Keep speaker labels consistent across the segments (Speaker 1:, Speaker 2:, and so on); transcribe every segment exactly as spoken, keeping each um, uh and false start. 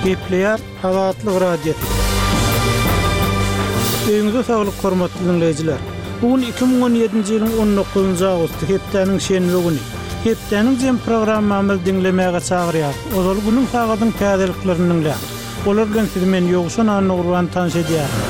Speaker 1: Gepleýär Azatlyk Radiosy. Öýüňize saglyk hormatly dinleýjiler. Bu gün iki müň on ýedinji ýylyň on dokuzynjy awgusty, hepdäniň şenbe güni. Hepdäniň jem programmamyzy diňlemäge çagyrýarys. Ozal günüň sagadyň täzeliklerini diňläň. Olar bilen sizi men Ýowşan Annagurban tanyş edýärin.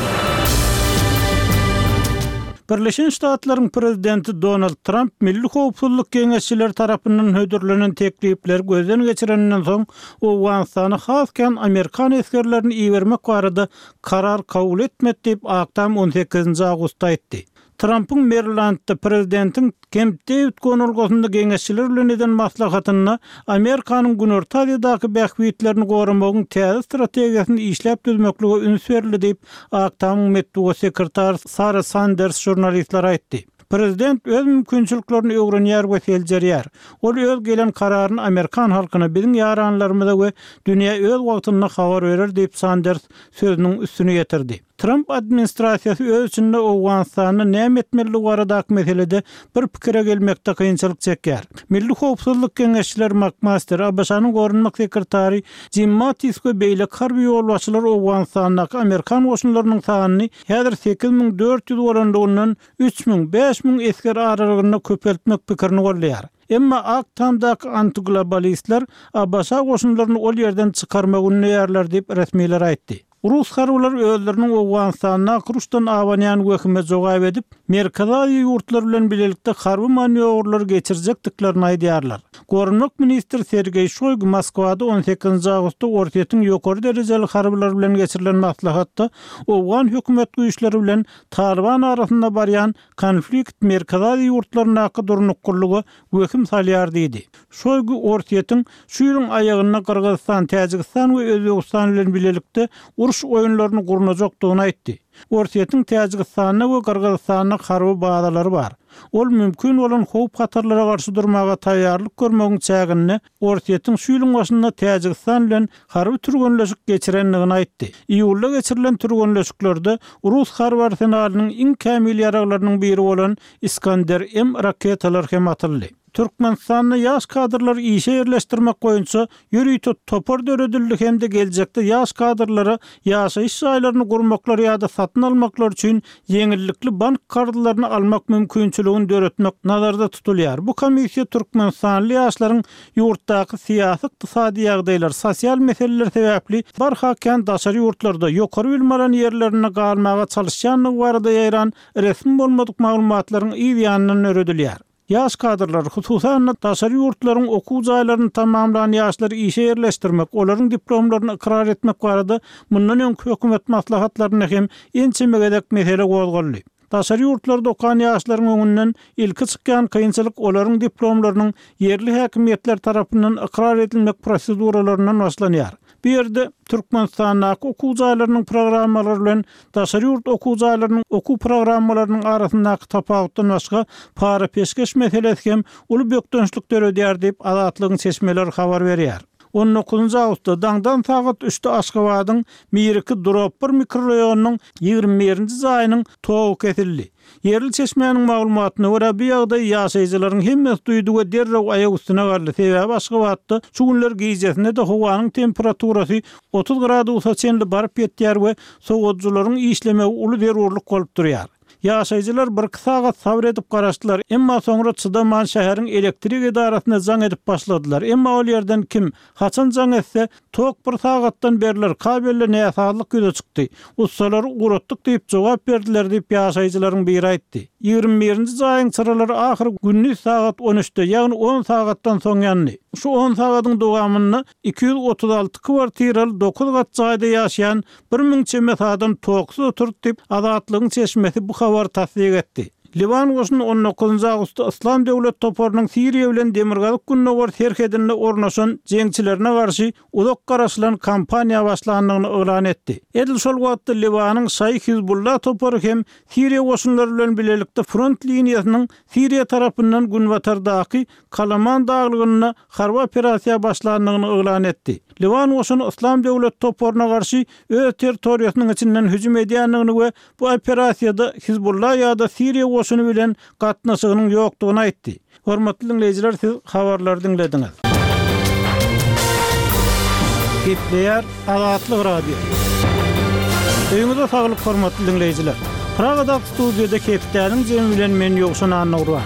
Speaker 1: Birleşen Ştatlaryň prezidenti Donald Tramp Milli Howpsuzlyk Geňeşçileri tarapyndan hödürlenen teklipleri gözden geçireninden soň Owganystana has kän amerikan esgerlerini ibermek barada karar kabul etmedi diýip Ak Tam on sekizinji awgustda aýtdy. Trampyň Merilandda prezidentiň Kemp Dewid gonalgasynda geňeşçiler bilen eden maslahatynda Amerikanyň Günorta Aziýadaky bähbitlerini goramagyň täze strategiýasyny işläp düzmeklige üns berildi diýip Ak Tamyň metbugat sekretary Sara Sanders žurnalistlere aýtdy. Prezident öz mümkinçiliklerini öwrenýär we seljerýär. Ol öz gelen kararyny amerikan halkyna, biziň ýaranlarymyza we dünýä öz wagtynda habar berer diýip Sanders sözüniň üstüni ýetirdi. Tramp administrasiýasy öz içinde Owganystanda näme etmelidigi baradaky meselede bir pikire gelmekde kynçylyk çekýär. Milli Howpsuzlyk Geňeşçileri McMaster, A B Ş-nyň goranmak sekretary Jim Mattis we beýleki harby ýolbaşçylar Owganystandaky amerikan goşunlarynyň sanyny häzir sekiz müň dört ýüz bolandygyndan üç müň, bäş müň esger aralygynda köpeltmek pikirini goldaýar. Emma Ak Tamdaky antiglobalistler A B Ş goşunlaryny ol ýerden çykarmagy ündeýärler diýip resmiler aýtdy. Rus harbylary özleriniň Owganystanda Rusdan abanýan wehime jogap edip, Merkezi Aziýa ýurtlary bilen bilelikde harby manýowrlary geçirjekdiklerini aýdýarlar. Goranmak ministri Sergeý Şoýgu Moskwada on sekizinji awgustda Orsýetiň ýokary derejeli harbylary bilen geçirilen maslahatda Owgan hökümet güýçleri bilen Taliban arasynda barýan konflikt Merkezi Aziýa ýurtlaryndaky durnuklylyga wehim salýar diýdi. Şoýgu Orsýetiň şu ýylyň aýagynda Gyrgyzystan, Täjigistan we Özbegistan bilen bilelikde uruş oýunlaryny gurnajakdygyny aýtdy. Orsýetiň Täjigistanda we Gyrgyzystanda harby bazalary bar. Ol mümkin bolan howp hatarlara garşy durmaga taýýarlyk görmegiň çäginde Orsýetiň şu ýylyň başynda Täjigistan bilen harby türgenleşik geçirendigini aýtdy. Iýulda geçirilen türgenleşiklerde Rus harby arsenalynyň iň kämil ýaraglarynyň biri bolan Iskander M raketalar hem atyldy. Türkmenistanda ýaş kadrlary işe ýerleşdirmek boýunça ýörite topar döredildi hem-de geljekde ýaş kadrlara ýaşaýyş jaýlaryny gurmaklar ýa-da satyn almaklar üçin ýeňillikli bank karzlaryny almak mümkinçiligini döretmek nazarda tutulýar. Bu komissiýa Türkmenistanly ýaşlaryň ýurtdaky syýasy, ykdysady ýagdaýlar, sosial meseleler sebäpli barha kän daşary ýurtlarda ýokary bilim alan ýerlerinde galmaga çalyşýandygy barada ýaýran resmi bolmadyk maglumatlaryň yz ýanyndan döredilýär. Ýaş kadrlar, hususan-da daşary ýurtlaryň okuw jaýlaryny tamamlan ýaşlary işe ýerleşdirmek, olaryň diplomlaryny ykrar etmek barada mundan öňki hökümet maslahatlarynda hem ençeme gezek mesele gozgaldy. Daşary ýurtlarda okan ýaşlaryň öňünden ilki çykýan kynçylyk olaryň diplomlarynyň ýerli häkimiýetler tarapyndan ykrar edilmek proseduralaryndan başlanýar. Bu ýerde Türkmenistandaky okuw jaýlarynyň programmalary bilen daşary ýurt okuw jaýlarynyň okuw programmalarynyň arasyndaky tapawutdan başga para peşgeş meselesi hem uly bökdençlik döredýär diýip Azatlygyň çeşmeleri habar berýär. on dokuzynjy awgustda daňdan sagat üçde Aşgabadyň Miriki Drop bir mikroraýonynyň ýigrimi birinji jaýynyň togy kesildi. Ýerli çeşmäniň maglumatyna görä bu ýagdaý ýaşaýjylaryň hemmesi duýdy we derrew aýak üstüne galdy. Sebäbi Aşgabatda şu günler gijesinde-de howanyň temperaturasy otuz gradusa çenli baryp ýetýär we sowadyjylaryň işlemegi uly zerurlyk bolup durýar. Ýaşaýjylar bir iki sagat sabr edip garaşdylar, emma soňra çydaman şäheriň elektrik edarasyna jaň edip başladylar. Emma ol ýerden kim, haçan jaň etse, tok bir sagatdan beriler, kabelde näsazlyk ýüze çykdy. Ussalary ugratdyk diýip jogap berdiler diýip ýaşaýjylaryň biri aýtdy. Ýigrimi birinji jaýyň çyralary ahyr gündiz sagat on üçde, ýagny on sagatdan soň ýandy. Şu on sagadyň dowamynda iki ýüz otuz alty kwartiraly dokuz gat jaýda ýaşaýan bir müň çemesi adam toksuz oturdy diýip Azatlygyň çeşmesi bu habary tassyk etdi. Liwan goşuny on dokuzynjy awgustda Yslam döwlet toparynyň Siriýa bilen Demirgazyk Gündogar serhedinde ornaşan jeňçilerine garşy uzak garaşylan kampaniýa başlandygyny yglan etdi. Edil şol wagtda Liwanyň Şaýy Hizbullah topary hem Siriýa goşunlary bilen bilelikde front liniýasynyň Siriýa tarapyndan günbatardaky Kalaman daglygynda harby operasiýa başlandygyny yglan etdi. Liwan goşuny Yslam döwlet toparyna garşy öz territoriýasynyň içinden hüjüm edýändigini we bu operasiýada Hizbullah ýa-da Siriýa goşuny bilen gatnaşygynyň ýokdugyny aýtdy. Hormatly dinleýjiler, siz habarlary diňlediňiz. Gepleýär Azatlyk Radiosy. Öýüňize saglyk hormatly diňleýjiler. Pragadaky studiýada hepdäniň jemi bilen men Ýowşan Annagurban.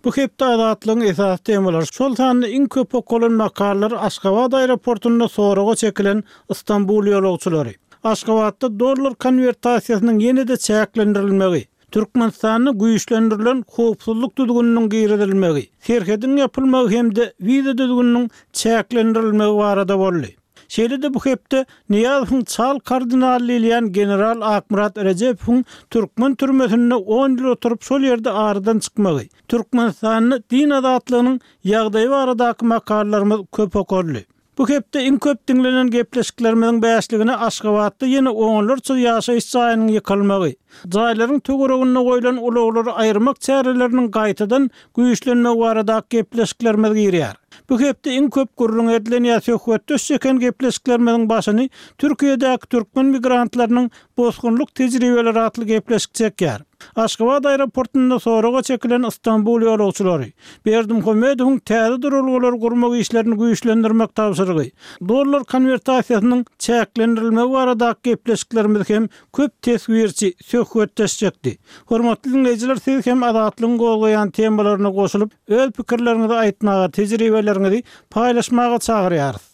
Speaker 1: Bu hepde Azatlygyň esasy temalary, şol sanda iň köp okalan makalalar Aşgabat aeroportunda soraga çekilen Istanbul ýolagçylary, Aşgabatda dollar konwertasiýasynyň ýene-de çäklendirilmegi, Türkmenistanda güýçlendirilen howpsuzlyk düzgüniniň girizilmegi, serhediň ýapylmagy hem-de wiza düzgüniniň çäklendirilmegi barada boldy. Şeýle-de bu hepde Nyýazowyň çal kardinaly diýilýän general Akmyrat Rejepowyň türkmen türmesinde on ýyl oturyp şol ýerde aradan çykmagy, Türkmenistanda din azatlygynyň ýagdaýy baradaky makalalarymyz köp okaldy. Bu hepde iň köp diňlenen gepleşiklerimiziň bäşligine Aşgabatda ýene onlarça ýaşaýyş jaýynyň ýykylmagy, jaýlaryň töwereginde goýlan ulaglary aýyrmak çäreleriniň gaýtadan güýçlenmegi baradaky gepleşiklerimiz girýär. Bu hepde iň köp gürrüň edilen ýa söhbetdeş çeken gepleşiklerimiziň başyny Türkiýedäki türkmen migrantlarynyň bosgunlyk tejribeleri atly gepleşik çekýär. Aşgabat aeroportunda soraga çekilen Istanbul ýolagçylary, Berdimuhamedowyň täze duralgalary gurmak işlerini güýçlendirmek tabşyrygy, dollar konwertasiýasynyň çäklendirilmegi baradaky gepleşiklerimiz hem köp teswirçi söhbetdeş çekdi. Hormatly diňleýjiler, siz hem Azatlygyň gozgaýan temalaryna goşulyp, öz pikirleriňizi aýtmaga, tejribeleriňizi paýlaşmaga çagyrýarys.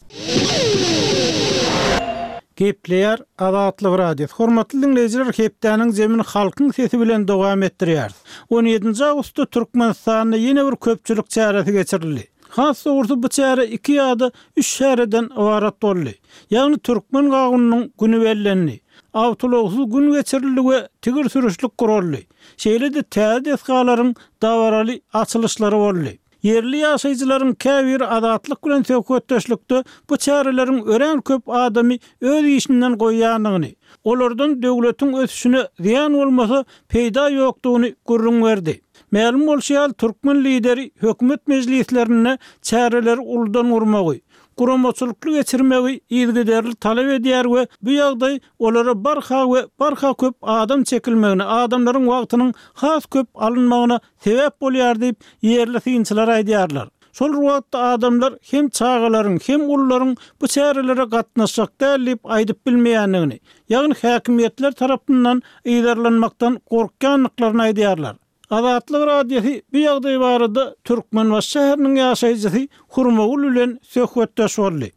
Speaker 1: Gepleýär Azatlyk Radiosy. Hormatly diňleýjiler, hepdäniň zemini halkyň sesi bilen dowam etdirýäris. On ýedinji awgustda Türkmenistanda ýene bir köpçülik çäresi geçirildi. Has dogrusy bu çäre iki ýa-da üç çäreden ybarat boldy. Ýagny türkmen gawunynyň güni bellendi. Awtoulagsyz gün geçirildi we tigir sürüşlik guraldy. Şeýle-de täze desgalaryň dabaraly açylyşlary boldy. Ýerli ýaşaýjylaryň käbiri Azatlyk bilen söhbetdeşlikde bu çäreleriň örän köp adamy öz işinden goýýandygyny, olardan döwletiň ösüşine zyýan bolmasa peýda ýokdugyny gürrüň berdi. Mälim bolşy ýaly, türkmen lideri hökümet mejlislerinde çäreleri uludan gurmagy, guramaçylykly geçirmegi yzygiderli talap edýär we bu ýagdaý olara barha we barha köp adam çekilmegine, adamlaryň wagtynyň has köp alynmagyna sebäp bolýar diýip, ýerli synçylar aýdýarlar. Şol wagtda adamlar hem çagalaryň, hem ulularyň bu çärelere gatnaşjak däl diýip aýdyp bilmeýändigini, ýagny häkimiýetler tarapyndan yzarlanmakdan gorkýandyklaryny aýdýarlar. Azatlyk Radiosy bu ýagdaý barada Türkmenbaşy şäheriniň ýaşaýjysy Hurmagül bilen söhbetdeş boldy.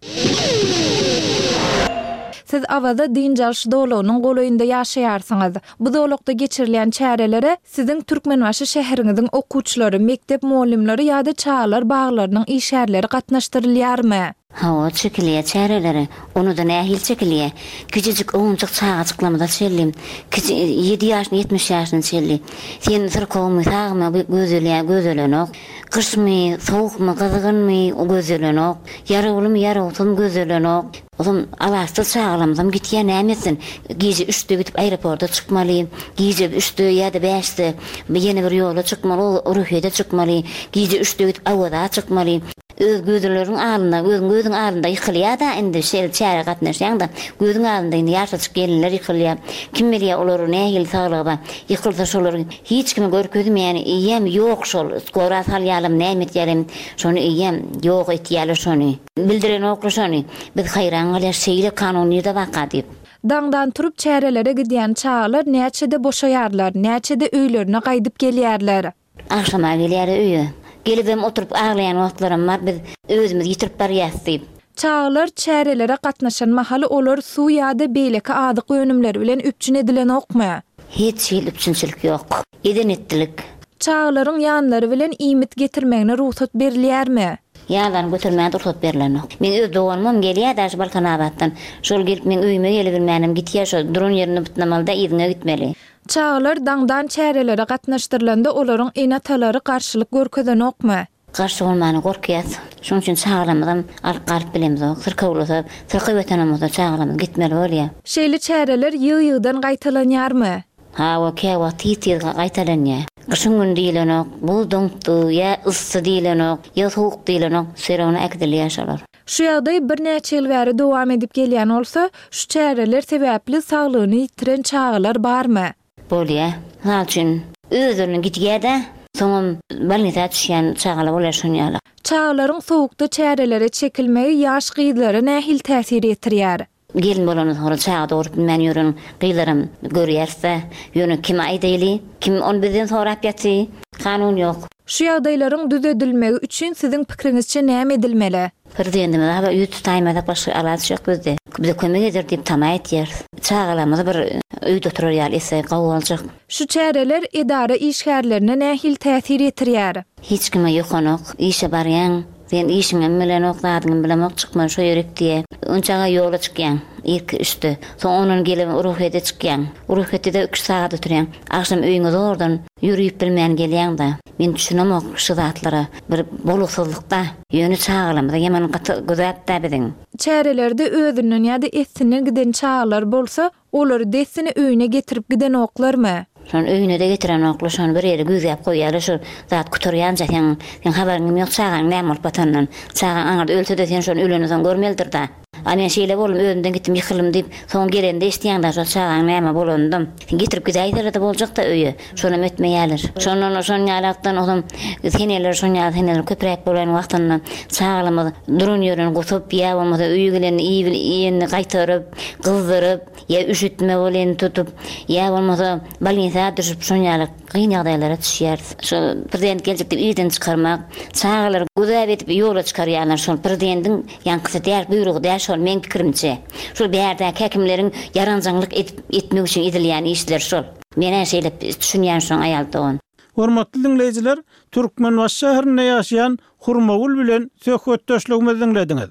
Speaker 2: Siz Awaza dynç alyş zolagynyň golaýynda ýaşaýarsyňyz. Bu zolakda geçirilýän çärelere siziň Türkmenbaşy şäheriňiziň okuwçylary, mekdep mugallymlary ýa-da çagalar baglarynyň işgärleri gatnaşdyrylýarmy?
Speaker 3: Hawa, çekilýär çärelere. Ony-da nähili çekilýär? Kiçijik owunjak çagajyklarymyza çenli, kiçi ýedi ýaşyna, ýetmiş ýaşyna çenli. Sen syrkawmy, sagmy gözelýär, gözelenok. Gyşmy, sowukmy, gyzgynmy gözelenok. Ýarawlymy, ýarawsyzmy gözelenok. Ozam alaçsyz çagalarymyzam gitýär, näme etsin? Gije üçde gidip aeroporta çykmaly, gije üçde ýa-da bäşde ýene bir ýola çykmaly, o Ruhyýete çykmaly, gije üçde gidip Awaza çykmaly. Öz gözleriň alnynda, özüň gözüň alnynda ýykylýar-da indi şeýle çärä gatnaşýaň-da, gözüň alnynda indi ýaşajyk gelinler ýykylýar. Kim bilýär olaryň nähili saglygy bar. Ýykylsa şolar hiç kime görkezmeýän eýýäm ýok şol skora salýarlarmy näme etýärem şony eýýäm ýok etýärler şony. Bildirenoklar şony. Biz haýran galýas şeýle kanun nirde barka diýip.
Speaker 2: Daňdan turup çärelere gidýän çagalar näçede boşaýarlar, näçede öýlerine gaýdyp gelýärler?
Speaker 3: Agşama gelýär öýe. Gelibem oturyp aglaýan wagtlaram bar, biz özümizi ýitirip barýas diýip.
Speaker 2: Çagalar çärelere gatnaşan mahaly olar suw ýa-da beýleki azyk önümleri bilen üpjün edilenokmy?
Speaker 3: Hiç hili üpjünçilik ýok. Eden etdilik.
Speaker 2: Çagalaryň ýanlary bilen iýmit getirmegine rugsat berilýärmi?
Speaker 3: Ýanlaryny götermäge rugsat berlenok. Meň öz doganymam gelýär daşy Balkanabatdan. Şol gelip meň öýüme gelibilmänem gitýär, şo duran ýerinde bytnamaly-da yzyňa gitmeli.
Speaker 2: Çagalar daňdan çärelere gatnaşdyrylanda olaryň ene-atalary garşylyk görkezenokmy?
Speaker 3: Garşy bolmana gorkýas. Şonuň üçin çagalarymyzam alyp galyp bilemizok. Syrkawlasa, syrkaw ýatan bolsa çagalarymyz gitmeli bolýar.
Speaker 2: Şeýle çäreler ýygy-ýygydan gaýtalanýarmy?
Speaker 3: Hawa, käwagt tiz-tiz gaýtalanýar. Gyşyň güni diýlenok, buz doňupdy, ýa yssy diýlenok, ýa sowuk diýlenok, serowna äkidilýär şolar.
Speaker 2: Şu ýagdaý birnäçe ýyl bäri dowam edip gelýän bolsa, şu çäreler sebäpli saglygyny ýitiren çagalar barmy?
Speaker 3: Bolýar. Mysal üçin, özlerine gidýär-de, soňam bolnisa düşýän çagalar bolýar şon ýaly.
Speaker 2: Çagalaryň sowukda çärelere çekilmegi ýaş gyzlara nähili täsir ýetirýär?
Speaker 3: Gelin bolandan soňra çaga dogrup bilmän ýören gyzlaram görýäris-dä. Ýöne kime aýdaýly? Kim ony bizden sorap ýaty? Kanun ýok.
Speaker 2: Şu ýagdaýlaryň düzedilmegi üçin siziň pikiriňizçe näme edilmeli?
Speaker 3: Prezidentimize haba ýüz tutaýmasak başga alaç ýok bizde. Bize kömek eder diýip tama etýäris. Çagalarymyzy bir öýde oturar ýaly etse gowy boljak.
Speaker 2: Şu çäreler edara işgärlerine nähili täsir ýetirýär?
Speaker 3: Hiç kime ýokanok. Işe barýaň, sen işiňem bilenok, zadyňam bilemok, çykma şo ýerik diýe. Onçaga ýola çykýaň, irki üçde. Soň ondan gelip ruhyýete çykýaň. Ruhyýetde üç sagat oturýaň. Agşam öýüňe zordan ýörüp bilmän gelýäň-de. Men düşünemok şu zatlara. Bir bolgusyzlykda. Ýöne çagalarymyza ýaman gaty güzap-da biziň.
Speaker 2: Çärelerde özünden ýa-da essinden giden çagalar bolsa, olary dessine öýüne getirip gidenoklarmy?
Speaker 3: Şony öýüne-de getirenoklar, şony bir ýere güzäp goýýarlar, şol zat gutarýança seň, seň habaryň ýok çagaň näme bolup batanyndan. Çagaň aňyrda ölse-de sen şony ölenden soň görmelidir-da. A men şeýle boldum, özümden gitdim, ýykyldym diýip, soň gelende eşitýäň-de şol çagaň näme bolanyndan. Sen getirip gidäýseler-de boljak-da öýe. Şonam etmeýärler. Şondan şon ýalakdan ozam seneler şon ýaly seneler köpräk bolan wagtynda çagalarymyz duran ýerinden gusup, ýa bolmasa öýe gelende iýip iýenini gaýtaryp, gyzdyryp, ýa üşütme bolýan tutup, ýa bolmasa bolnisa düşüp şon ýaly kyn ýagdaýlara düşýäris. Şol prezident geljek diýip irden çykarmak, çagalary güzap edip ýola çykarýarlar. Şol prezidentiň ýaňkysy däl, buýrugy däl şol meň pikirimçe. Şol bärdäki häkimleriň ýaranjaňlyk edip etmek üçin edilýän işler şol. Men şeýle düşünýän şoň aýal dogan.
Speaker 1: Hormatly dinleýjiler, Türkmenbaşy şäherinde ýaşaýan Hurmagül bilen söhbetdeşligimizi dinlediňiz.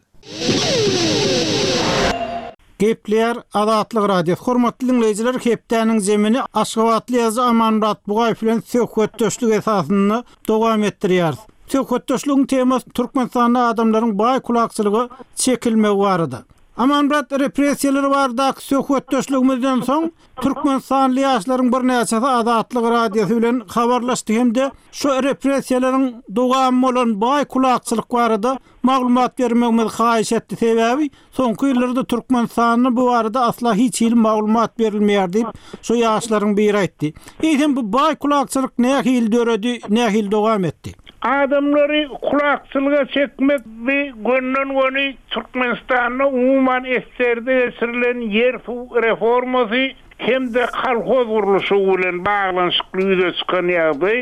Speaker 1: Gepleýär Azatlyk Radiosy. Hormatly dinleýjiler, hepdäniň zemini Aşgabatly ýazyjy Amanmyrat Bugaýew bilen söhbetdeşlik esasynda dowam etdirýäris. Söhbetdeşligiň temasy Türkmenistanda adamlaryň baý kulakçylyga çekilmegi barada. Amanmyrat, repressiýalar baradaky söhbetdeşligimizden soň Türkmenistanly ýaşlaryň birnäçesi Azatlyk Radiosy bilen habarlaşdy hem-de şu repressiýalaryň dowamy bolan baý kulakçylyk barada maglumat bermegimizi haýyş etdi. Sebäbi soňky ýyllarda Türkmenistanda bu barada asla hiç hili maglumat berilmeýär diýip, şu ýaşlaryň biri aýtdy. Eýsem bu baý kulakçylyk nähili döredi, nähili dowam etdi?
Speaker 4: Adamlary kulakçylyga çekmek bi gönden-göni Türkmenistanda umuman eserde geçirilen ýer-suw reformasy hem-de kolhoz gurluşygy bilen baglanyşykly ýüze çykan ýagdaý.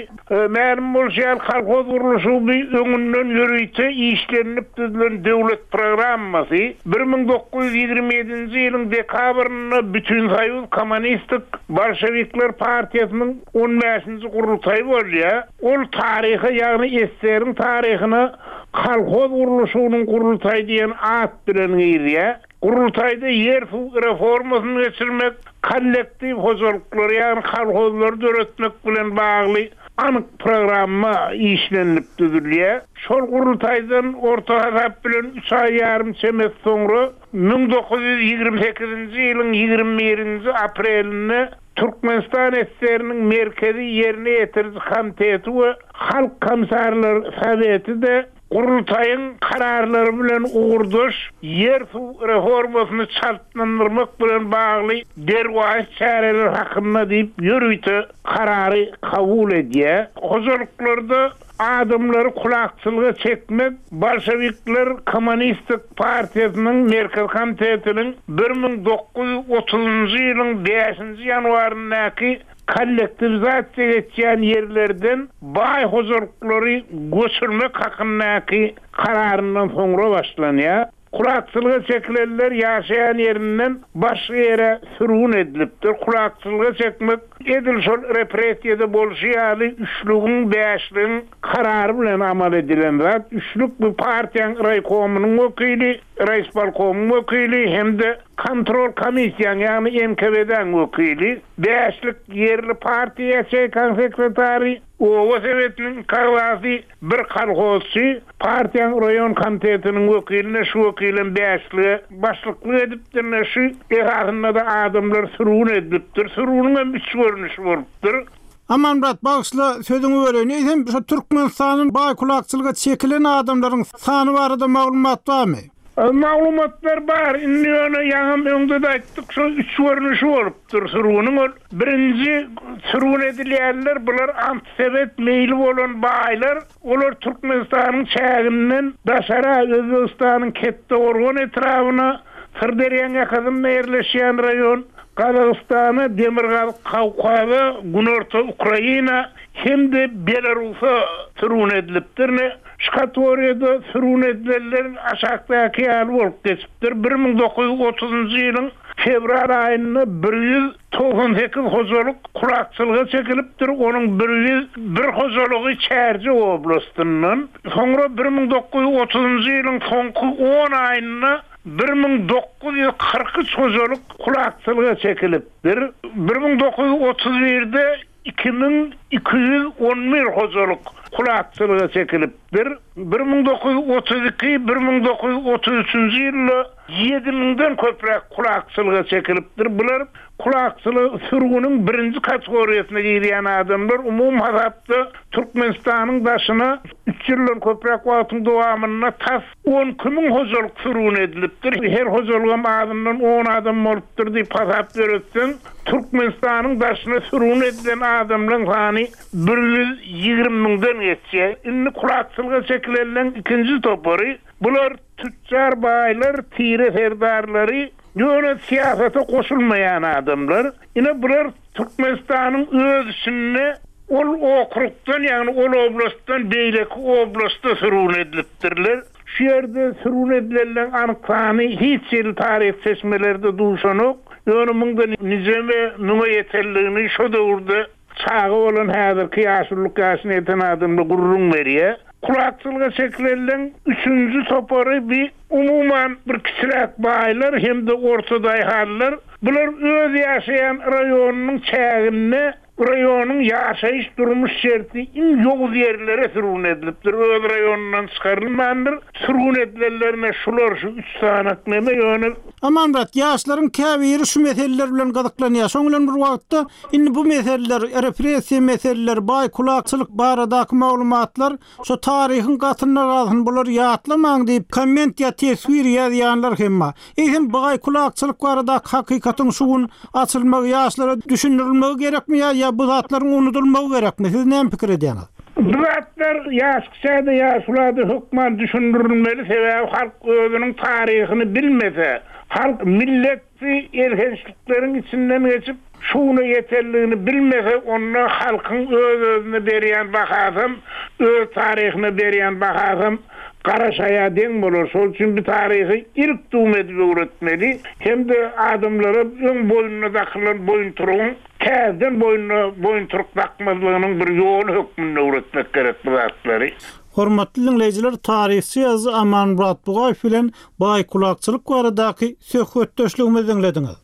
Speaker 4: Mälim bolşy ýaly kolhoz gurluşygy bi öňünden ýörite işlenilip düzülen döwlet programmasy bir müň dokuz ýüz ýigrimi ýedinji ýylyň dekabrynda Bütünsoýuz Kommunistik Bolşevikler partiýasynyň on bäşinji gurultaýy bolýar. Ol taryha, ýagny eseriň taryhyna kolhoz gurluşygynyň gurultaýy diýen at bilen girýär. Gurultaýda ýer-suw reformasyny geçirmek, kollektiw hojalyklary, ýagny kolhozlary döretmek bilen bagly anyk programma işlenilip düzülýär. Şol gurultaýdan orta hasap bilen üç aý ýarym çemesi soňra müň dokuz ýüz ýigrimi sekizinji ýylyň ýigrimi birinji aprelinde Türkmenistan esseriniň merkezi ýerine ýetiriji komiteti we Halk Komissarlar Soweti-de gurultaýyň kararlary bilen ugurdaş ýer-suw reformasyny çaltlandyrmak bilen bagly derwaýys çäreler hakynda diýip ýörite karary kabul edýär. Hojalyklarda adamlary kulakçylyga çekmek Bolşevikler Kommunistik partiýasynyň merkezi komitetiniň bir müň dokuz ýüz otuzunjy ýylyň bäşinji ýanwaryndaky kollektiwizasiýa geçýän ýerlerden baý hojalyklary göçürmek hakyndaky kararyndan soňra başlanýar. Kulakçylyga çekilenler ýaşaýan ýerinden başga ýere sürgün edilipdir. Kulakçylyga çekmek edil şol repressiýada bolşy ýaly üçlügiň, bäşligiň karary bilen amal edilen zat. Üçlük bu partiýanyň raýkomynyň wekili, raýspolkomyň wekili hem-de kontrol komissiýanyň, ýagny N K W D-niň wekili, bäşlik ýerli partiýa ýaçeýkan sekretary, oba sebetiniň kaglasy, bir kolhozçy, partiýanyň raýon komitetiniň wekiline, şu wekilem bäşlige başlyklyk edipdir, ne şu esasynda da adamlar sürgün edilipdir. Sürgünüň hem üç görnüşi bolupdyr.
Speaker 1: Amanmyrat, bagyşla sözüňi böleýin. Eýsem şu Türkmenistanyň baý kulakçylyga çekilen adamlaryň sany barada maglumat barmy?
Speaker 4: Maglumatlar bar. Indi ýöne ýaňam öňde-de aýtdyk, şo üç görnüşi bolupdyr sürgüniň. Ol birinji sürgün edilýänler bular antisowet meýli bolan baýlar. Olar Türkmenistanyň çäginden daşara, Özbegistanyň Kettegorgan etrabyna, Syrderýaň ýakasynda ýerleşýän raýon, Gazagystana, Demirgazyk Kawkaza, Günorta Ukraina hem-de Belarusa sürgün edilipdir. Ine, şu kategoriýada sürgün edilenler aşakdaky ýaly bolup geçipdir. Bir müň dokuz ýüz otuzynjy ýylyň fewral aýynda bir ýüz togsan sekiz hojalyk kulakçylyga çekilipdir, onuň bir ýüz bir hojalygy Çärjew oblastyndan. Soňra bir müň dokuz ýüz otuzynjy ýylyň soňky on aýynda bir müň dokuz ýüz kyrk üç hojalyk kulakçylyga çekilipdir. Bir müň dokuz ýüz otuz birde iki müň iki ýüz on bir hojalyk kulakçylyga çekilipdir. Bir müň dokuz ýüz otuz iki, bir müň dokuz ýüz otuz üçünji ýylda ýedi müňden köpräk kulakçylyga çekilipdir. Bular kulakçylyk sürgüniň birinji kategoriýasyna girýän adamlar. Umumy hasapda Türkmenistanyň daşyna üç ýyldan köpräk wagtyň dowamynda tas on iki müň hojalyk sürgün edilipdir. Her hojalygam azyndan on adam bolupdyr diýip hasap ýöretseň, Türkmenistanyň daşyna sürgün edilen adamlaryň sany bir ýüz ýigrimi müňden geçýär. Indi kulakçylyga çekilenleriň ikinji topary, bular tüçjar baýlar, tire serdarlary, ýöne syýasata goşulmaýan adamlar. Ine bular Türkmenistanyň öz içinde ol okrugdan, ýagny ol oblastdan beýleki oblasta sürgün edilipdirler. Şu ýerde sürgün edilenleriň anyk sany hiç ýyl taryh çeşmelerde duşanok. Ýöne muňda nijeme müňe ýetenligini şo döwürde çaga bolan häzirki ýaşulluk ýaşyna ýeten adamlar gürrüň berýär. Kulakçylyga çekilenleriň üçünji topary bir umuman bir kiçiräk baýlar hem-de orta daýhanlar. Bular öz ýaşaýan raýonynyň çäginde raýonyň ýaşaýyş durmuş şerti iň ýowuz ýerlere sürgün edilipdir. Öz raýonundan çykarylmandyr. Sürgün edilenlerine şular şu üç sanak neme ýöne.
Speaker 1: Amanmyrat, ýaşlaryň käbiri şu meseleler bilen gyzyklanýar. Şoň bilen bir wagtda indi bu meseleler, repressiýa meseleleri, baý kulakçylyk baradaky maglumatlar şu taryhyň gatynda galsyn, bular ýatlamaň diýip komment ýa teswir ýazýanlar hem bar. Eýsem baý kulakçylyk baradaky hakykatyň şu gün açylmagy, ýaşlara düşündirilmegi gerekmi ýa, ýa bu zatlaryň unudylmagy gerekmi? Siz näme pikir edýäňiz?
Speaker 4: Bu zatlar ýaş kişide, ýaşulada hökman düşündirilmeli, sebäbi halk özüniň taryhyny bilmese, halk milleti elhençlikleriň içinden geçip şuna ýeterligini bilmese, onda halkyň öz-özüne berýän bahasam, öz taryhyna berýän bahasam garaşaýa deň bolar. Şol üçin bu taryhy ilk dum edip öwretmeli, hem-de adamlara öň boýnuna dakylan boýunturugyň täzeden boýnuna boýunturuk dakmazlygynyň bir ýoly hökmünde öwretmek gerek bu zatlary.
Speaker 1: Hormatly dinleýjiler, taryhçy ýazyjy Amanmyrat Bugaýew bilen baý kulakçylyk baradaky söhbetdeşligimizi dinlediňiz.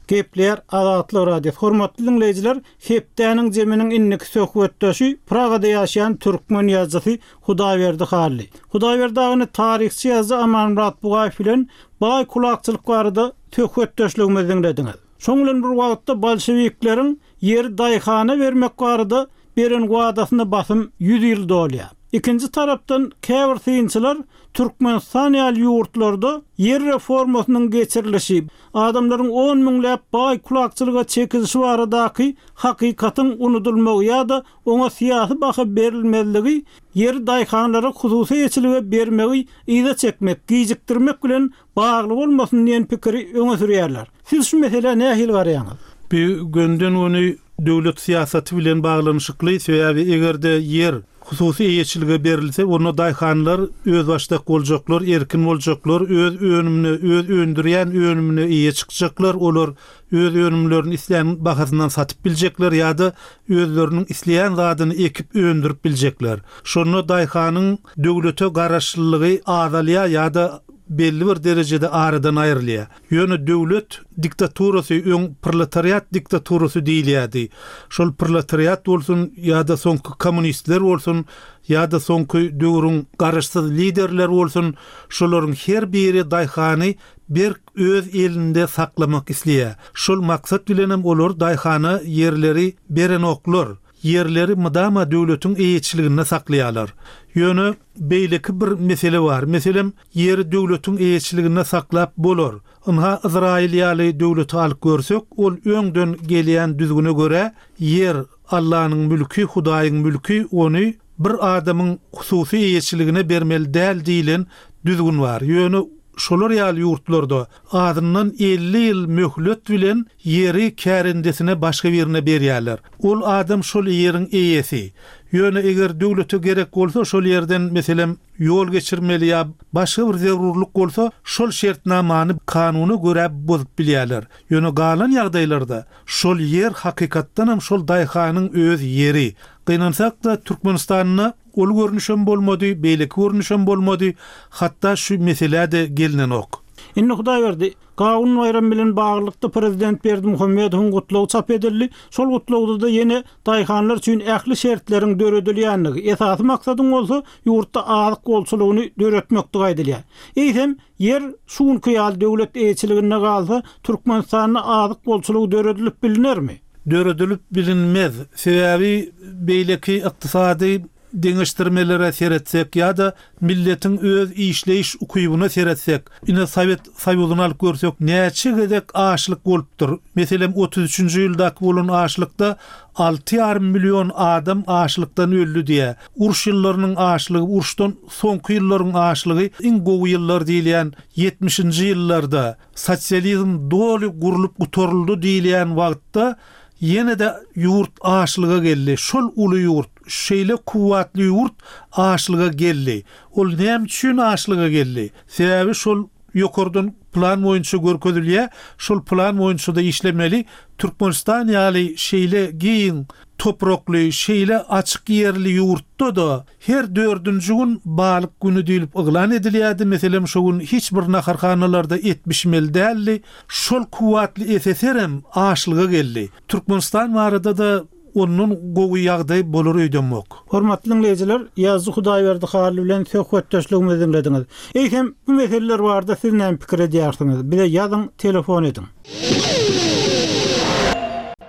Speaker 1: Gepler Azatlyk Radiosy. Hormatly dinleýjiler, hepdäniň zeminiň indiki söhbetdeşi Pragada ýaşaýan türkmen ýazyjysy Hudaýberdi Hally. Hudaýberdi agany taryhçy ýazyjy Amanmyrat Bugaýew bilen baý kulakçylyk barada söhbetdeşligimizi dinlediňiz. Şoň bilen bir wagtda bolşewikleriň ýeri daýhana bermek barada beren wadasyna basym ýüz ýyl dolýar. Ikinji tarapdan käbir synçylar Türkmenistan ýaly ýurtlarda ýer reformasynyň geçirilişi, adamlaryň on müňläp baý kulakçylyga çekilişi baradaky hakykatyň unudulmagy ýa-da oňa syýasy baha berilmezligi, ýeri daýhanlara hususy eýeçilige bermegi yza çekmek, gijikdirmek bilen bagly bolmasyn diýen pikiri öňe sürýärler. Siz şu meselä nähili garaýaňyz?
Speaker 5: Bir günden güni döwlet syýasaty bilen baglanyşykly, sebäbi egerde ýer hususy eýeçilige berilse, onda daýhanlar öz başdak boljaklar, erkin boljaklar, öz önümine, öz öndürýän önümine eýe çykjaklar, olar öz önümlerini islän bahasyndan satyp biljekler ýa-da özleriniň isleýän zadyny ekip öndürip biljekler. Şonda daýhanyň döwlete garaşlylygy azalýar ýa-da belli bir derejede aradan aýrylýar. Ýöne döwlet diktaturasy öň proletariat diktaturasy diýilýärdi. Şol proletariat bolsun ýa-da soňky kommunistler bolsun ýa-da soňky döwrüň garaşsyz liderler bolsun, şolaryň her biri daýhany berk öz elinde saklamak isleýär. Şol maksat bilenem olar daýhana ýerleri berenoklar. Ýerleri mydama döwletiň eýeçiliginde saklaýarlar. Ýöne beýleki bir mesele bar. Meselem, ýeri döwletiň eýeçiliginde saklap bolar. Ynha Izrail ýaly döwleti alyp görsek, ol öňden gelýän düzgüne görä ýer Allah'nyň mülki, Hudaýyň mülki, ony bir adamyň hususy eýeçiligine bermeli däl diýilen düzgün bar. Ýöne şolar ýaly ýurtlarda azyndan elli ýyl möhlet bilen ýeri kärendesine başga birine berýärler. Ol adam şol ýeriň eýesi. Ýöne eger döwlete gerek bolsa şol ýerden meselem ýol geçirmeli ýa başga bir zerurlyk bolsa şol şertnamany kanuna görä bozup bilýärler. Ýöne galan ýagdaýlarda şol ýer hakykatdan hem şol daýhanyň öz ýeri. Gynansak da Türkmenistanda ol görnüşem bolmady, beýleki görnüşem bolmady, hatda şu mesele de gelinenok.
Speaker 1: Indi Hudaýberdi, Gawun baýram bilen baglylykda prezident Berdimuhamedowyň gutlagy çap edildi. Şol gutlagda da ýene daýhanlar üçin ähli şertleriň döredilýänligi, esasy maksadyň bolsa ýurtda azyk bolçulygyny döretmekdi aýdylýar. Eýsem, ýer şu günki ýaly döwlet eýeçiliginde galsa, Türkmenistanda azyk bolçulygy döredilip bilinermi?
Speaker 5: Döredilip bilinmez. Sebäbi beýleki ykdysady deňeşdirmelere seretsek ýa-da milletiň öz işleýiş ukybyna seretsek, ine Sowet Soýuzyny alyp görsek, näçe gezek açlyk bolupdyr. Meselem, otuz üçünji ýyldaky bolan açlykda alty ýarym million adam açlykdan öldi diýe. Uruş ýyllarynyň açlygy, uruşdan soňky ýyllaryň açlygy iň gowy ýyllar diýilýän ýetmişinji ýyllarda sosializm doly gurlup gutaryldy diýilýän wagtda ýene de ýurt açlyga geldi. Şol uly ýurt, şeýle kuwwatly ýurt açlyga geldi. Ol näme üçin açlyga geldi? Sebäbi şol ýokardan plan boýunça görkezilýär. Şol plan boýunça da işlemeli. Türkmenistan ýaly şeýle giň toprakly, şeýle açyk ýerli ýurtda da her dördünji gün balyk günü diýilip yglan edilýärdi. Meselem, şo gün hiç bir naharhanalarda et bişmeli däldi. Şol kuwwatly S S R-em açlyga geldi. Türkmenistan barada da ondan gowy ýagdaý bolar öýdemok.
Speaker 1: Hormatly dinleýjiler, Ýazdy Hudaýberdi Hally bilen söhbetdeşligimizi dinlediňiz. Eýsem, bu meseleler barada siz näme pikir edýärsiňiz? Bize ýazyň, telefon ediň.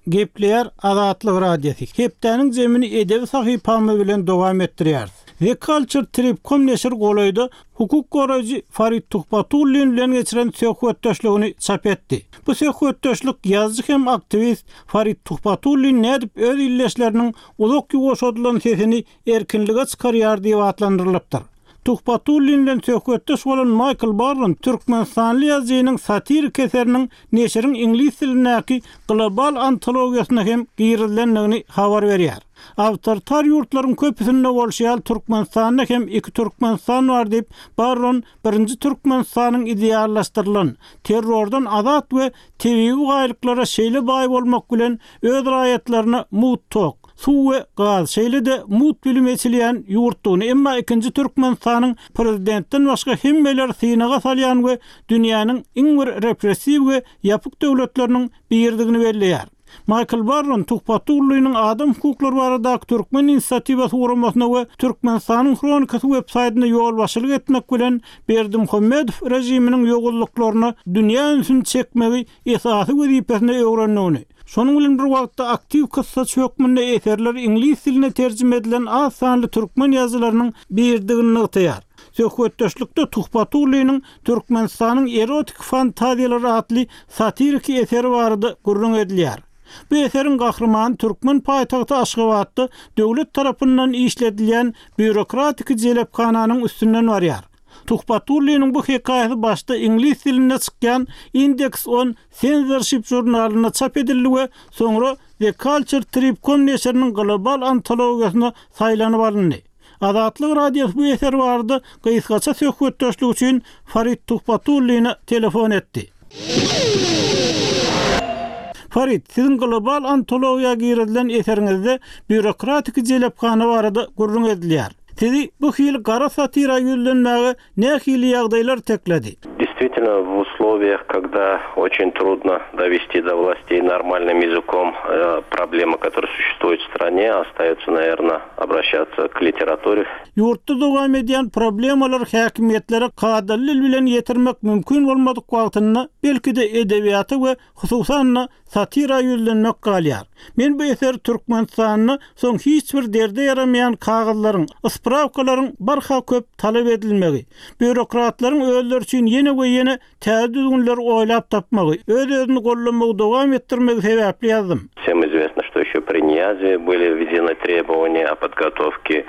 Speaker 1: Gepleýär Azatlyk Radiosy. Hepdäniň zemini edebi sahypamy bilen dowam etdirýär. The Culture Trip.com neşir golaýda hukuk goraýjy Farid Tuhbatullin bilen geçiren söhbetdeşligini çap etdi. Bu söhbetdeşlik ýazyjy hem aktiwist Farid Tuhbatullin nädip öz illeşleriniň uzak ýuwaşadylan sesini erkinlige çykarýar diýip atlandyrylypdyr. Tuhbatullin bilen söhbetdeş bolan Michael Barron Türkmenistanly ýazyjynyň satirik eseriniň neşiriň iňlis dilindäki global antologiýasyna hem girizilendigini habar berýär. Awtoritar ýurtlaryň köpüsinde bolşy ýaly Türkmenistanda hem iki Türkmenistan bar diýip Barron birinji Türkmenistanyň ideallaşdyrylan, terrordan azat we tebigy baýlyklara şeýle baý bolmak bilen öz raýatlaryna mut tok, suw we gaz, şeýle de mut bilim eçilýän ýurtdugyny, emma ikinji Türkmenistanyň prezidentden başga hemmeler synaga salýan we dünýäniň iň bir repressiw we ýapyk döwletleriniň birdigini belleýär. Michael Barron Tuhbatulliniň adam hukuklary baradaky Türkmen inisiatiwasy guramasyna we Türkmenistanyň Hronikasy web-saýtyna ýolbaşçylyk etmek bilen Berdimuhamedow režiminiň ýogullyklaryna dünýä ünsüni çekmegi esasy wezipesine öwrendigini, şonuň bilen bir wagtda aktiw kyssaçy hökmünde eserler iňlis diline terjime edilen az sanly türkmen ýazyjylarynyň birdigini nygtaýar. Söhbetdeşlikde Tuhbatulliniň Türkmenistanyň erotik fantaziýalary atly satiriki eseri barada gürrüň edilýär. Bu eseriň gahrymany türkmen paýtagty Aşgabatda döwlet tarapyndan işledilýän býurokratik jelephananyň üstünden barýar. Tuhbatulliniň bu hekaýasy başda iňlis dilinde çykýan Index on Censorship jurnalynda çap edildi we soňra The Culture Trip.com neşiriniň global antologiýasyna saýlanyp alyndy. Azatlyk Radiosy bu eser barada gysgaça söhbetdeşlik üçin Farid Tuhbatulline telefon etdi. Farid, siziň global antologiýa girizilen eseriňizde býurokratik jelephana barada gürrüň edilýär. Sizi bu hil gara satira ýüzlenmäge nähili ýagdaýlar tekledi?
Speaker 6: Действительно, в условиях, когда очень трудно довести до властей нормальным языком, э, проблемы, которые существуют в стране, остается, наверное, обращаться к литературе.
Speaker 1: Ýurtda dowam edýän problemalar häkimiýetlere kadaly bilen ýetirmek mümkin bolmadyk wagtynda belki de edebiýata we hususan satira ýüzlenmek galýar. Men bu eseri Türkmenistanda soň hiç bir derde ýaramaýan kagyzlaryň, sprawkalaryň barha köp talap edilmegi, býurokratlaryň özleri üçin ýene we ýene täze düzgünleri oýlap tapmagy, öz-özüni gollamagy dowam etdirmegi sebäpli ýazdym.
Speaker 6: Всем известно, что еще при Ниязе были введены требования о подготовке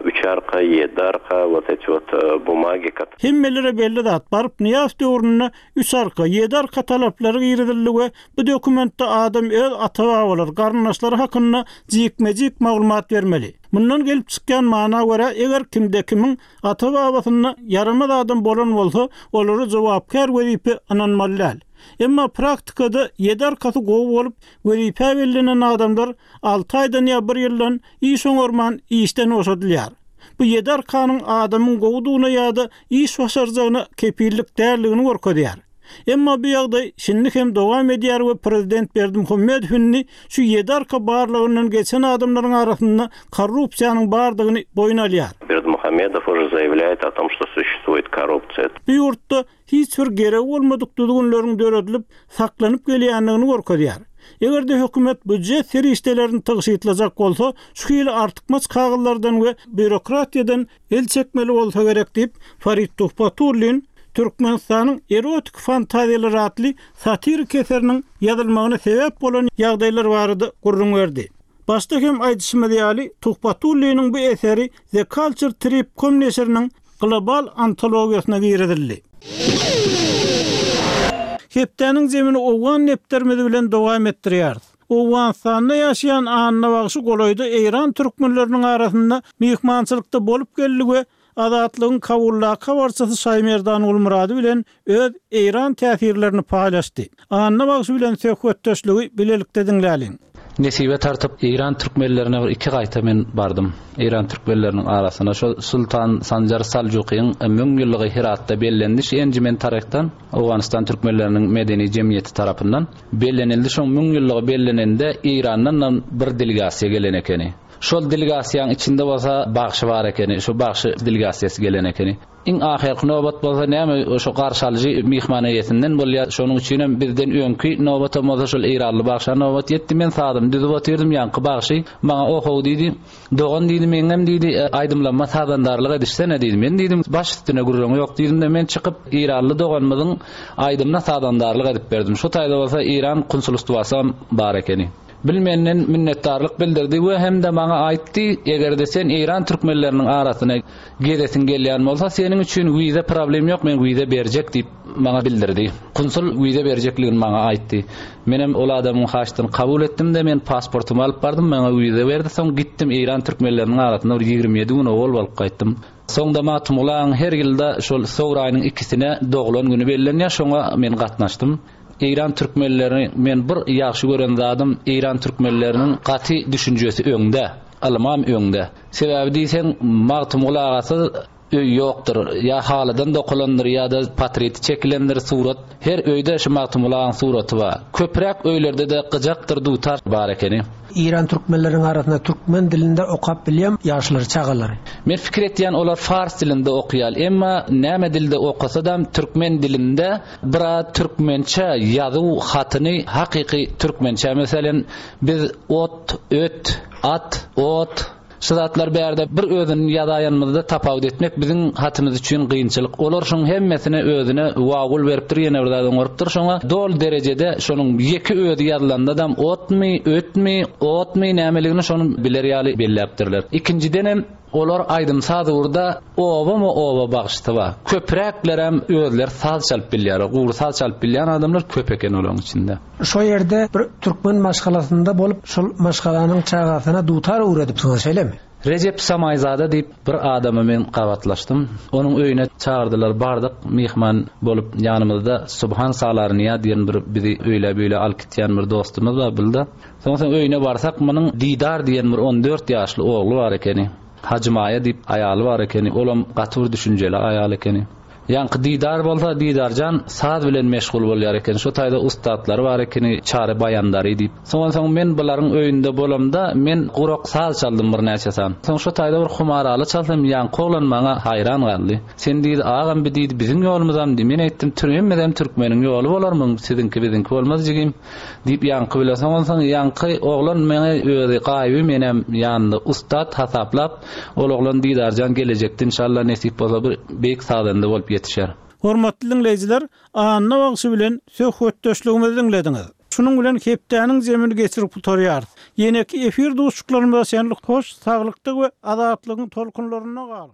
Speaker 6: Üçarka, Ýediarka, вот эти вот бумаги.
Speaker 1: Hemmelere belli zat, baryp Nyýazow döwründe Üçarka, Ýediarka talaplary girizildi we bu dokumentde adam öz ata-babalary, garyndaşlary hakynda jikme-jik maglumat bermeli. Mundan gelip çykýan mana görä, eger kimde kimiň ata-babasynda ýaramaz adam bolan bolsa, olara jogapkär wezipe ynanmaly däl. Emma praktikada ýedi arkasy gowy bolup, wezipe bellenen adamlar alty aýdan ýa bir ýyldan iş oňarman işden boşadylýar. Bu ýedi arkanyň adamyň gowudygyna ýa-da iş başarjagyna kepillik däldigini görkezýär. Emma bu ýagdaý şindi hem dowam edýär we prezident Berdimuhamedow indi şu ýedi arka barlygyndan geçen adamlaryň arasynda korrupsiýanyň bardygyny boýun alýar.
Speaker 6: Бердымухамедов уже заявляет о том, что существует коррупция.
Speaker 1: Bu ýurtda hiç bir gerek bolmadyk düzgünleriň döredilip saklanyp gelýändigini görkezýär. Eger-de hökümet býujet serişdelerini tygşytlajak bolsa, şu hili artykmaç kagyzlardan we býurokratiýadan el çekmeli bolsa gerek diýip, Farid Tuhbatullin Türkmenistanyň erotik fantaziýalary atly satirik eseriniň ýazylmagyna sebäp bolan ýagdaýlar barada gürrüň berdi. Başda hem aýdyşymyz ýaly, Tuhbatulliniň bu eseri The Culture Trip com neşiriniň global antologiýasyna girizildi. Hepdäniň zemini Owgan nepterimiz bilen dowam etdirýäris. Owganystanda ýaşaýan Anna bagşy golaýda Eýran türkmenleriniň arasynda myhmançylykda bolup geldi we Azatlygyň Kabuldaky habarçysy Şaýmerdan Gulmurady bilen öz Eýran täsirlerini paýlaşdy. Anna bagşy bilen söhbetdeşligi bilelikde diňläliň.
Speaker 7: Nesibe tartyp Eýran türkmenlerine bir iki gaýta men bardym. Eýran türkmenleriniň arasyna şo Sultan Sanjar Saljukyň müň ýyllygy Heratda bellendi. Şu enjimen taryhdan Owganystan türkmenleriniň medeni jemgyýeti tarapyndan bellenildi. Şoň müň ýyllygy bellenende Eýrandan bir delegasiýa gelen ekeni. Şol delegasiýanyň içinde bolsa bagşy bar ekeni, şu bagşy delegasiýasy gelen ekeni. Iň ahyrky nobat bolsa näme şo garşalyjy myhman eýesinden bolýar. Şonuň üçin hem bizden öňki nobata bolsa şol Eýranly bagşa nobat ýetdi. Men sadymy düzüp otyrdym, ýaňky bagşy maňa ohow diýdi. Dogan diýdi, meňem diýdi, aýdymlanma sazandarlyk edişsene diýdi. Men diýdim, baş üstüne gürrüň ýok diýdim-de, men çykyp Eýranly doganymyzyň aýdymyna sazandarlyk edip berdim. Şu taýda bolsa Eýran konsulstwasy bar ekeni. Bilmenden minnetdarlyk bildirdi we hem de maňa aýtdy, eger-de sen Eýran türkmenleriniň arasyna gezesin gelýän bolsa, seniň üçin wiza problem ýok, men wiza berjek diýip maňa bildirdi. Konsul wiza berjekligini maňa aýtdy. Menem ol adamyň haçdyny kabul etdim-de, men pasportumy alyp bardym, maňa wiza berdi. Soň gitdim Eýran türkmenleriniň arasyna bir ýigrimi ýedi gün owal bolup gaýtdym. Soňda Magtymgulyň her ýylda şol sowraýynyň ikisine doglan güni bellenýär, şoňa men gatnaşdym. Eýran türkmenlerini men bir ýagşy gören zadym, Eýran türkmenleriniň gaty düşünjesi öňde, ylmam öňde. Sebäbi diýseň Magtymguly agasy öý ýokdur, ýa halydan dokulandyr, ýa-da portreti çekilendir surat. Her öýde şu Magtymguly agaň suraty bar. Köpräk öýlerde-de gyjakdyr, dutar bar ekeni.
Speaker 8: Eýran türkmenleriniň arasynda türkmen dilinde okap bilýän ýaşlar, çagalary.
Speaker 7: Men fikir etýän olar fars dilinde okuýar, emma näme dilde okasa da türkmen dilinde bira türkmençe ýazuw hatyny hakyky türkmençe, meselen biz ot, öt, at, ot şu zatlar bärde bir özüni ýazaýanymyzda tapawut etmek biziň hatymyz üçin kynçylyk. Olar şoň hemmesine özüne wagul beripdir, ýene bir zat oňarypdyr. Şoňa dol derejede şonuň ýeke özi ýazylanda da otmy, ötmi, otmy nämeligini şonuň biler ýaly belläpdirler. Ikinjiden hem olar aýdym saz urda oba oba bagşysy bar. Köpräklerem özler saz çalyp bilýär. Gury saz çalyp bilýän adamlar köp eken olaryň içinde.
Speaker 8: Şo ýerde bir türkmen maşgalasynda bolup, şol maşgalanyň çagasyna dutar öwredipsiňiz, şeýlemi?
Speaker 7: Recep Samaýzada diýip bir adama men gabatlaşdym. Onuň öýüne çağırdylar, bardyk, myhman bolup ýanymyzda Subhan Salarniýa diýen bir bizi öýle-beýle alyp gitýän bir dostumyz bar bildi. Soň öýüne barsak, munuň Didar diýen bir on dört ýaşly ogly bar ekeni. Hajy Maýa diýip aýaly bar ekeni. Olam gaty bir düşünjeli aýal ekeni. Ýaňky Didar bolsa, Didarjan saz bilen meşgul bolýar eken. Şo taýda ussatlary bar ekeni, Çary Baýandary diýip. Soň onsoň men bularyň öýünde bolamda, men gurak saz çaldym birnäçe san. Soň şo taýda bir humaraly çalsam, ýaňky oglan maňa haýran galdy. Sen diýdi, agam bi diýdi, biziň ýolumyzam diý. Men aýtdym, hemmesem türkmeniň ýoly bolar muň, siziňki biziňki bolmaz jigim. Diýip ýaňky bile soň onsoň ýaňky oglan meňe özi gaýyby menem ýanynda ussat hasaplap, ol oglan Didarjan gelejekde inşallah nesip bolsa bir beýik sazanda bolup ýetişer.
Speaker 1: Hormatly diňleýjiler, Anna bagşy bilen söhbetdeşligimizi diňlediňiz. Şunuň bilen hepdäniň zemini geçirip gutarýarys. Ýeneki efir duşuşyklarymyza çenli hoş, saglykda we azatlygyň tolkunlarynda galyň.